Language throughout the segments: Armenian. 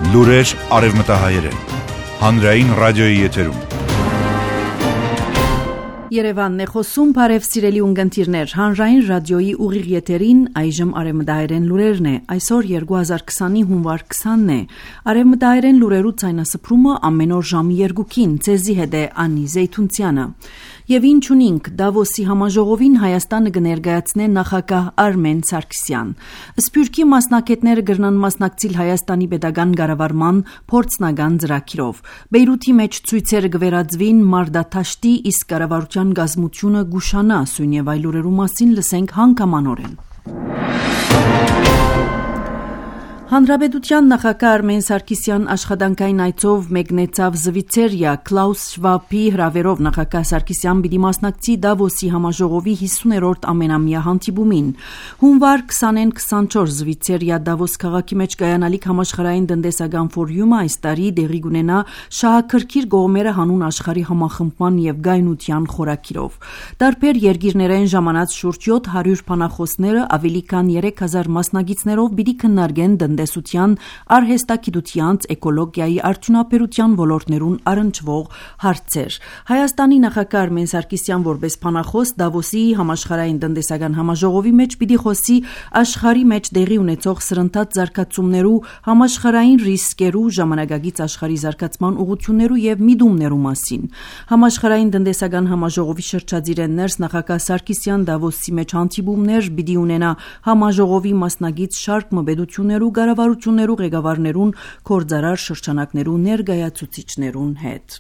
Լուրեր արևմտահայերեն, հանրային ռադիոյի եթերում։ Երևանն է խոսում, բարև սիրելի ունկնդիրներ, հանրային ռադիոյի ուղիղ եթերին այժմ արևմտահայերեն լուրերն է, այսօր 2020-ի հունվար 20-ն է, արևմտահայերեն լուրերու ցայնասփռումը ամեն օր ժամի 2-ին, ցեզի հետ է Անի Զեյթունցյանը։ Եվ ինչ ունինք, Դավոսի համաժողովին Հայաստանը կներկայացնե նախագահ Արմեն Սարգսյան։ Սփյուռքի մասնակիցները կգրնան մասնակցել Հայաստանի պետական կառավարման փորձնական ծրագրով։ Բեյրութի մեջ ցույցերը կվերածվին մարտադաշտի, իսկ կառավարության գազմությունը գուշանա, սույն եւ այլ լուրերու մասին լսենք հանգամանորեն։ Հանրապետության նախագահ Արմեն Սարգսյան աշխատանքային այցով մեկնեցավ Զվիցերիա, Klaus Schwab-ի հրավերով նախագահ Սարգսյան պիտի մասնակցի Դավոսի համաժողովի 50-րդ ամենամյա հանդիպումին։ Հունվար 20-24 Զվիցերիա Դավոս քաղաքի մեջ կայանալիք համաշխարհային տնտեսական ֆորումը այս տարի դեղի կունենա շահագրգիռ կողմերը հանուն աշխարհի համախմբման եւ գայունության խորակիրով։ Տարբեր երկիրներեն ժամանած շուրջ 700 բանախոսները ավելի քան 3000 մասնակիցներով պիտի քննարկեն տնտեսության, արհեստագիտության, էկոլոգիայի, արդյունաբերության ոլորտներուն առնչվող հարցեր։ Հայաստանի նախագահ Արմեն Սարգսյան որպես բանախոս Դավոսի համաշխարհային տնտեսական համաժողովի մեջ պիտի խոսի աշխարհի մեջ տեղի ունեցող սրընթաց զարգացումներու, համաշխարհային ռիսկերու, ժամանակակից աշխարհի զարգացման ուղղություններու եւ միտումներու մասին։ Համաշխարհային տնտեսական համաժողովի շրջադիր ներս նախագահ Սարգսյան Դավոսի մեջ հանդիպումներ պիտի ունենա համաժողովի մասնակից շարք մբեդություններու, կառավարություններու ղեկավարներուն, գործարար շրջանակներու ներկայացուցիչներուն հետ։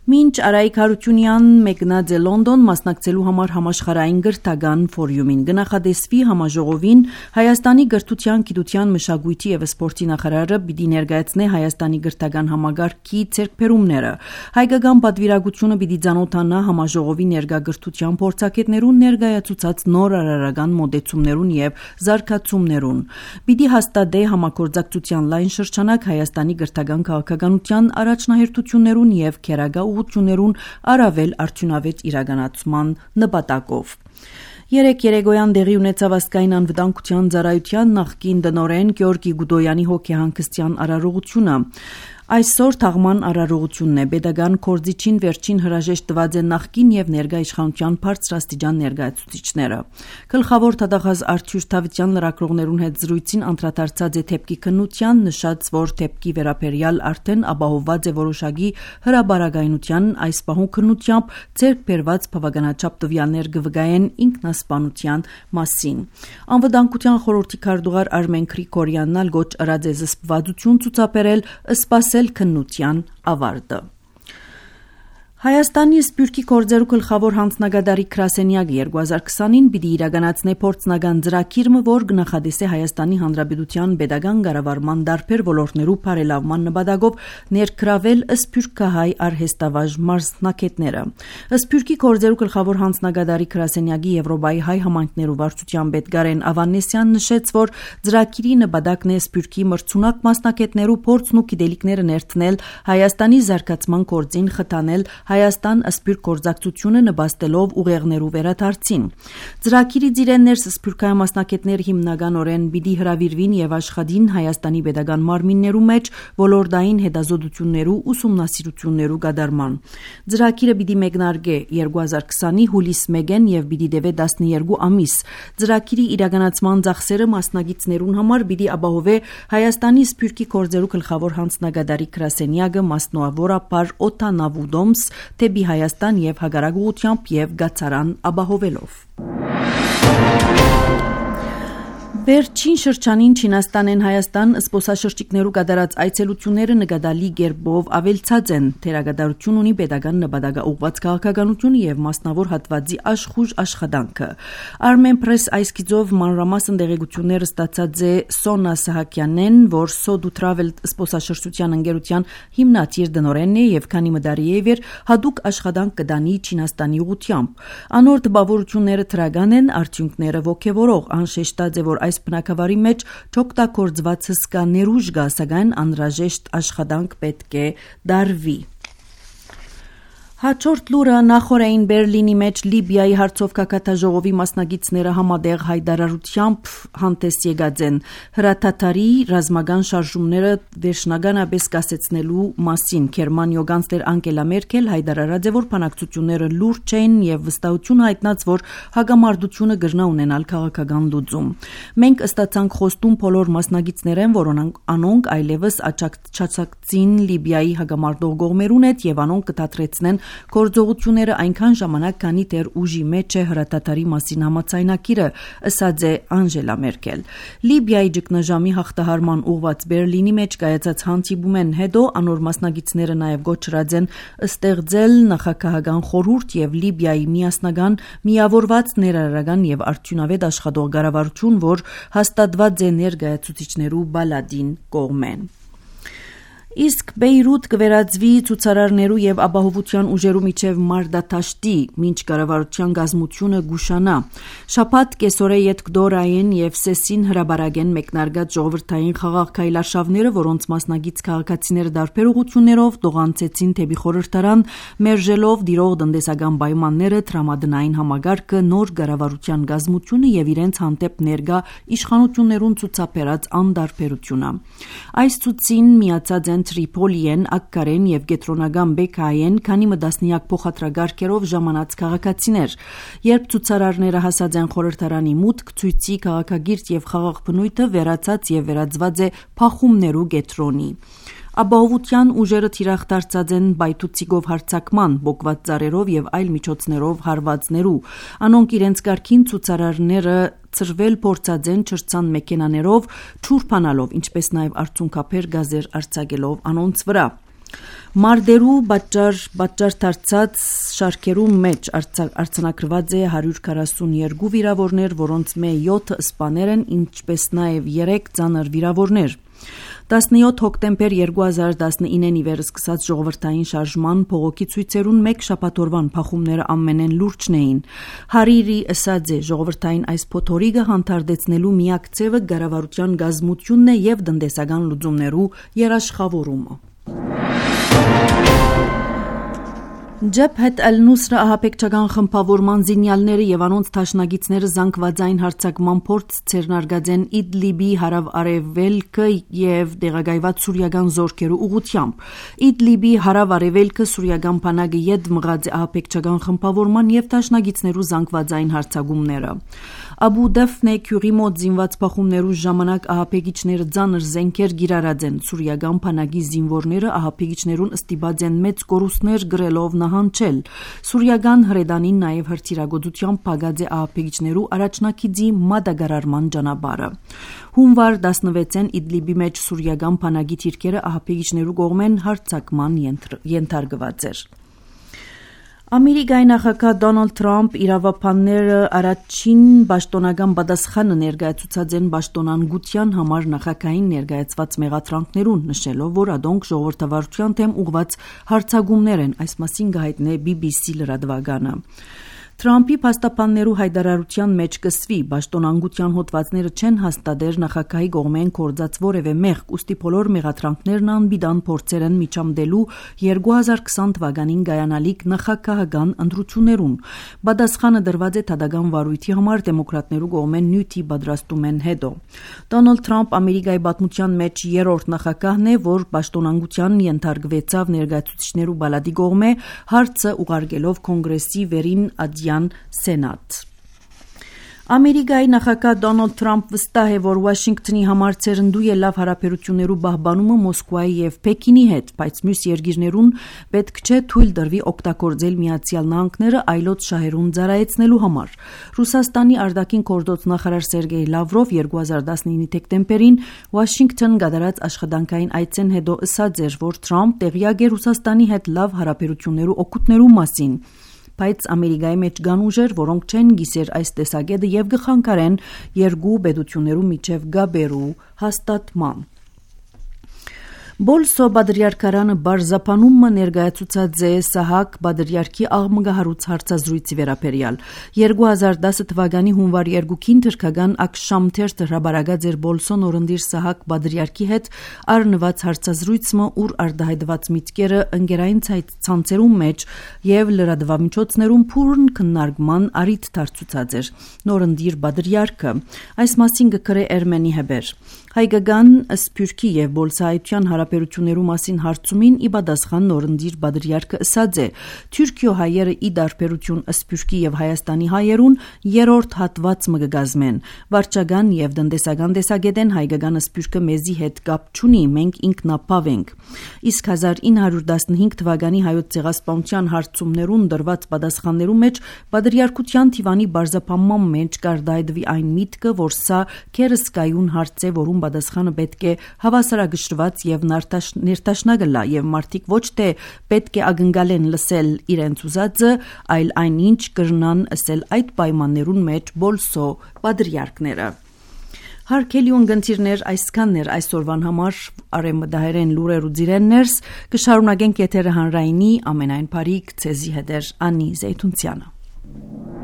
Մինչ Արայիկ Հարությունյան մեկնած է Լոնդոն մասնակցելու համար համաշխարհային գրթական ֆորումին, կնախադեсվի համաժողովին Հայաստանի գրթության, գիտության, մշակույթի եւ սպորտի նախարարը պիտի ներկայացնե Հայաստանի գրթական համագարքի ձեռքբերումները։ Հայկական պատվիրակությունը պիտի ցանոթանա համաժողովի ներկա գրթության փորձագետներուն ներկայացուցած նոր արարական մոդեցումներուն եւ զարգացումներուն։ Պիտի հաստատե համագործակցության լայն շրջանակ Հայաստանի գրթական քաղաքականության առաջնահերթություններուն եւ քերագա ուղղություններուն առավել արդյունավետ իրականացման նպատակով։ Երեկոյան տեղի ունեցավ ազգային անվտանգության ծառայության նախկին տնօրեն Գյորգի Գուդոյանի հոգեհանգստյան արարողությունը։ Այսօր թաղման արարողությունն է, պետական կորձիչին վերջին հրաժեշտ տված են նախկին եւ ներկա իշխանության բարձրաստիճան ներկայացուցիչները։ Գլխավոր դատախազ Արթուր Թավթյան լրագրողներուն հետ զրույցին անդրադարձած է թեփքի քննության, նշած, որ թեփքի վերաբերյալ արդեն ապահովված է որոշակի հրաբարագայնության, այս պահուն քննությամբ ձեռք բերված բավականաչափ տվյալներ կվկայեն ինքնասպանության մասին։ Անվտանգության խորհրդի քարտուղար Արմեն Գրիգորյանն ալ գոչ ըրած է զսպվածություն ցուցաբերել սպասել քննության ավարտը։ Հայաստանի Սփյուռքի գործերու գլխավոր հանձնագետարի Գրասենյակը 2020-ին պիտի իրականացնե փորձնական ծրագիրը, որ կնախադեսե Հայաստանի Հանրապետության պետական կառավարման տարբեր ոլորտներու բարելավման նպատակով ներգրավել սփյուռքահայ արհեստավարժ մասնակիցները։ Սփյուռքի գործերու գլխավոր հանձնագետարի Գրասենյակի Եվրոպայի հայ համայնքներու վարչության պետ Գարեն Ավանեսյան նշեց, որ ծրագիրի նպատակն է սփյուռքի մրցունակ մասնակիցներու փորձն ու գիտելիքները ներդնել Հայաստանի զարգացման գործին խթանել Հայաստան սփյուռք գործակցությունը նպաստելով ուղեղներու վերադարձին։ Ծրագիրի ծիրեններս սփյուռքահայ մասնակիցները հիմնականորեն պիտի հրավիրվին եւ աշխատին Հայաստանի պետական մարմիններու մեջ ոլորտային հետազոտություններու ուսումնասիրություններու կատարման։ Ծրագիրը պիտի մեկնարկե 2020-ի հուլիս 1-ին եւ պիտի տևե 12 ամիս։ Ծրագիրի իրականացման ծախսերը մասնակիցներուն համար պիտի ապահովե Հայաստանի սփյուռքի գործերու գլխավոր հանձնագետարի Գրասենյակը մասնավորապես օտանավուդոմս թեպի Հայաստան եւ հակառակ ուղղությամբ եւ գացարան ապահովելով։ Վերջին շրջանին Չինաստանեն Հայաստան զբոսաշրջիկներու կատարած այցելությունները նկատելի կերպով ավելցած են։ Թերագադարություն ունի պետական նպատակաուղղված քաղաքականությունը եւ մասնավոր հատվածի աշխուժ աշխատանքը։ Armen Press այսքիծով մանրամասն տեղեկությունները ստացած է Սոնա Սահակյանեն, որ Sodu Travel զբոսաշրջության ընկերության հիմնադիր տնօրենն է եւ քանի մդարի է վեր հadouk աշխատանք կդանի Չինաստանի ուղղությամբ։ Անոր տպավորությունները թրագան են, արդյունքները ոգևորող, անշեշտած է, որ այս բնակավարի մեջ չօգտագործված հսկա ներուժ կա, սակայն անհրաժեշտ աշխատանք պետք է դարվի։ Հաջորդ լուրը նախորդային Բերլինի մեջ Լիբիայի հարցով կակատաժողովի մասնագետները համատեղ հայտարարությամբ հանդես եկած են հրաթաթարի ռազմական շարժումները վերջնականապես կասեցնելու մասին։ Գերմանիայի կանցլեր Անգելա Մերկել հայտարարած է, որ բանակցությունները լուրջ էին եւ վստահություն հայտնած, որ հագամարտությունը կգրնա ունենալ քաղաքական լուծում։ Մենք ստացանք խոստում բոլոր մասնագետներեն, որոնք անոնք այլևս աջակցին Լիբիայի հագամարտող կողմերուն հետ եւ անոնք կդադրեցնեն գործողությունները այնքան ժամանակ, քանի դեռ ուժի մեջ է հրաթաթարի մասին համաձայնագիրը, ասաց է Անգելա Մերկել։ Լիբիայի ճգնաժամի հաղթահարման ուղղված Բերլինի մեջ կայացած հանդիպումեն հետո անոր մասնագետները նաև գոչրած են ստեղծել նախագահական խորհուրդ եւ Լիբիայի միասնական միավորված ներառական եւ արդյունավետ աշխատող կառավարություն, որ հաստատված է ներկայացուցիչներու բալադին կողմեն։ Իսկ Բեյրութ կվերածվի ցուցարարներու եւ ապահովության ուժերու միջև մարտադաշտի, մինչ կառավարության գազմությունը գուշանա։ Շաբաթ կեսօրե Ետկդորային եւ Սեսին հրաբարագեն մեկնարկած ժողովրդային խաղաղ քայլարշավները, որոնց մասնագից քաղաքացիները դարբեր ուղղություններով տողանցեցին թեպի խորհրդարան, մերժելով դիրող տնտեսական պայմանները, տրամադրային համագարկը, նոր կառավարության գազմությունը եւ իրենց հանդեպ ներկա իշխանություններուն ցուցաբերած անդարբերությունը։ Այս ցուցին միացած են Տրիպոլիեն, Ակկարեն եւ Կենտրոնական Բեկայեն, քանի մտասնյակ փոխադրագարկերով ժամանած քաղաքացիներ։ Երբ ցուցարարները հասած են խորհրդարանի մուտք, ցույցի քաղաքագիրտ եւ խաղաղ բնույթը վերացած եւ վերածված է փախումներու կետրոնի։ Ապահովության ուժերը թիրախ դարձած են բայթուցիկով հարձակման, բոկված ծառերով եւ այլ միջոցներով հարվածներու։ Անոնք իրենց կարգին ցուցարարները ծրվել փորձած են չրցան մեքենաներով, չուրփանալով, ինչպես նաև արցունքափեր գազեր արձակելով անոնց վրա։ Մարդերու պատճառ դարձած շարքերու մեջ արձանագրված է 142 վիրավորներ, որոնց մե 7 սպաներ են, ինչպես նաև 3 ծանր վիրավորներ։ 17 հոկտեմբեր 2019-ին ի վեր սկսած ժողովրդային շարժման փողոքի ցույցերուն մեկ շաբաթօրվան փախումները ամենեն լուրջն էին։ Հարիրի ասաց է, ժողովրդային այս փոթորիկը հանդարտեցնելու միակ ձևը կառավարության գազմությունն է եւ տնտեսական լուծումներու երաշխավորումը։ Ջեբհեթ Ալ-Նուսրա ահաբեկչական խմբավորման զինյալները եւ անոնց թաշնագիցները զանգվածային հարձակման փորձ ցերնարգած են Իդլիբի հարավ-արևելքը եւ դեղագայված սուրիական զորքերու ուղությամբ։ Իդլիբի հարավ-արևելքը սուրիական բանակը յետ մղած է ահաբեկչական խմբավորման եւ թաշնագիցներու զանգվածային հարձակումները։ Աբու Դաֆնե քյուրի մոտ զինված փախումներու ժամանակ ահաբեկիչները ծանր զենքեր գիրարած են։ Սուրիական բանակի զինվորները ահաբեկիչներուն ըստիբած են մեծ կորուստներ գրելով նահանջել։ Սուրիական հրեդանին նաև հրթիռագործությամբ փակած է ահաբեկիչներու առաջնակիցի մատակարարման ճանապարհը։ Հունվար 16-ին Իդլիբի մեջ սուրիական բանակի թիրքերը ահաբեկիչներու կողմեն հարձակման ենթարկված էր։ Ամերիկայի նախագահ Դոնալդ Թրամփ իրավաբանները առաջին պաշտոնական պատասխանը ներկայացուցած են պաշտոնանկության համար նախագահին ներկայացված մեղադրանքներուն, նշելով, որ ադոնք ժողովրդավարության դեմ ուղված հարձակումներ են, այս մասին գահիտնե BBC լրատվականը։ Թրամփի փաստաբաններու հայտարարության մեջ կսվի պաշտոնանկության հոդվածները չեն հաստատեր նախագահի կողմեն կորձած որևէ մեղք, ուստի բոլոր մեղադրանքներն անբիդան փորձեր են միջամտելու 2020 թվականին կայանալիք նախագահական ընտրություններուն։ Պատասխանը դրված է Թադական վարույթի համար դեմոկրատներու կողմեն նյութի պատրաստումեն հետո։ Դոնալդ Թրամփ Ամերիկայի պատմության մեջ երրորդ նախագահն է, որ պաշտոնանկության ենթարկվեցավ ներկայացուցիչներու բալադի կողմէ, հարցը ուղարկելով կոնգրեսի վերին Սենատ։ Ամերիկայի նախագահ Դոնալդ Թրամփ վստահ է, որ Վաշինգտոնի համար ցերնդու է լավ հարաբերություններու պահպանումը Մոսկվայի եւ Պեկինի հետ, բայց մյուս երկիրներուն պետք չէ թույլ տրվի օգտագործել Միացյալ Նահանգները այլոց շահերուն ծառայեցնելու համար։ Ռուսաստանի արտաքին գործոց նախարար Սերգեյ Լավրով 2019-ի դեկտեմբերին Վաշինգտոն գդարած աշխատանքային այցեն հետո ասաց էր, որ Թրամփ տեղյակ է Ռուսաստանի հետ լավ հարաբերություններու օգուտներու մասին։ Բայց Ամերիկայի մեջ կան ուժեր, որոնք չեն գիսեր այս տեսակետը եւ գխանգարեն երկու պետություններու միջև գաբերու հաստատման։ Բոլսո բادرյարքարանը բարձապանումը ներկայացուցած է Սահակ բادرյարքի աղմգահարույց հարցազրույցի վերաբերյալ 2010 թվականի հունվար 2-ին թրքական ակշամթերթը հրաբարակած էր Բոլսոն օրնդիր Սահակ բادرյարքի հետ առնված հարցազրույցը, ուր արտահայտված միտքերը ընկերային ցանցերում մեջ եւ լրատվամիջոցներում փուրն քննարկման առիթ դարձուցած էր նորնդիր բادرյարքը այս մասին գրե Էրմենի հեբեր հայկական սփյուռքի եւ բոլսայության հարաբերություններու մասին հարցումին ի պատասխան նորնդիր բادرյարքը ասած է Թուրքիո հայերը ի դարբերություն սփյուռքի եւ Հայաստանի հայերուն երրորդ հատված մը կգազմեն վարչական եւ տնտեսական տեսակետեն հայկական սփյուռքը մեզի հետ կապ չունի մենք ինքնապավ ենք իսկ 1915 թվականի հայոց ցեղասպանության հարցումներուն դրված պատասխաններու մեջ բادرյարքության թիվանի բարձապանման մեջ կարտահայտվի այն միտքը որ սա քերսկայուն հարց է որում պատասխանը պետք է հավասարակշռված եւ ներտաշնակ լա եւ մարդիկ ոչ թե պետք է ակնկալեն լսել իրենց ուզածը, այլ այնինչ կրնան ասել այդ պայմաններուն մեջ Բոլսո բادرյարքները։ Հարկելի ունգընտիրներ այսքաններ այսօրվան համար արեմդահերեն լուրեր ու ձիրեններս կշարունակենք եթերը հանրայինի ամենայն բարիք ցեզի հետեր Անի Զեյթունցյանը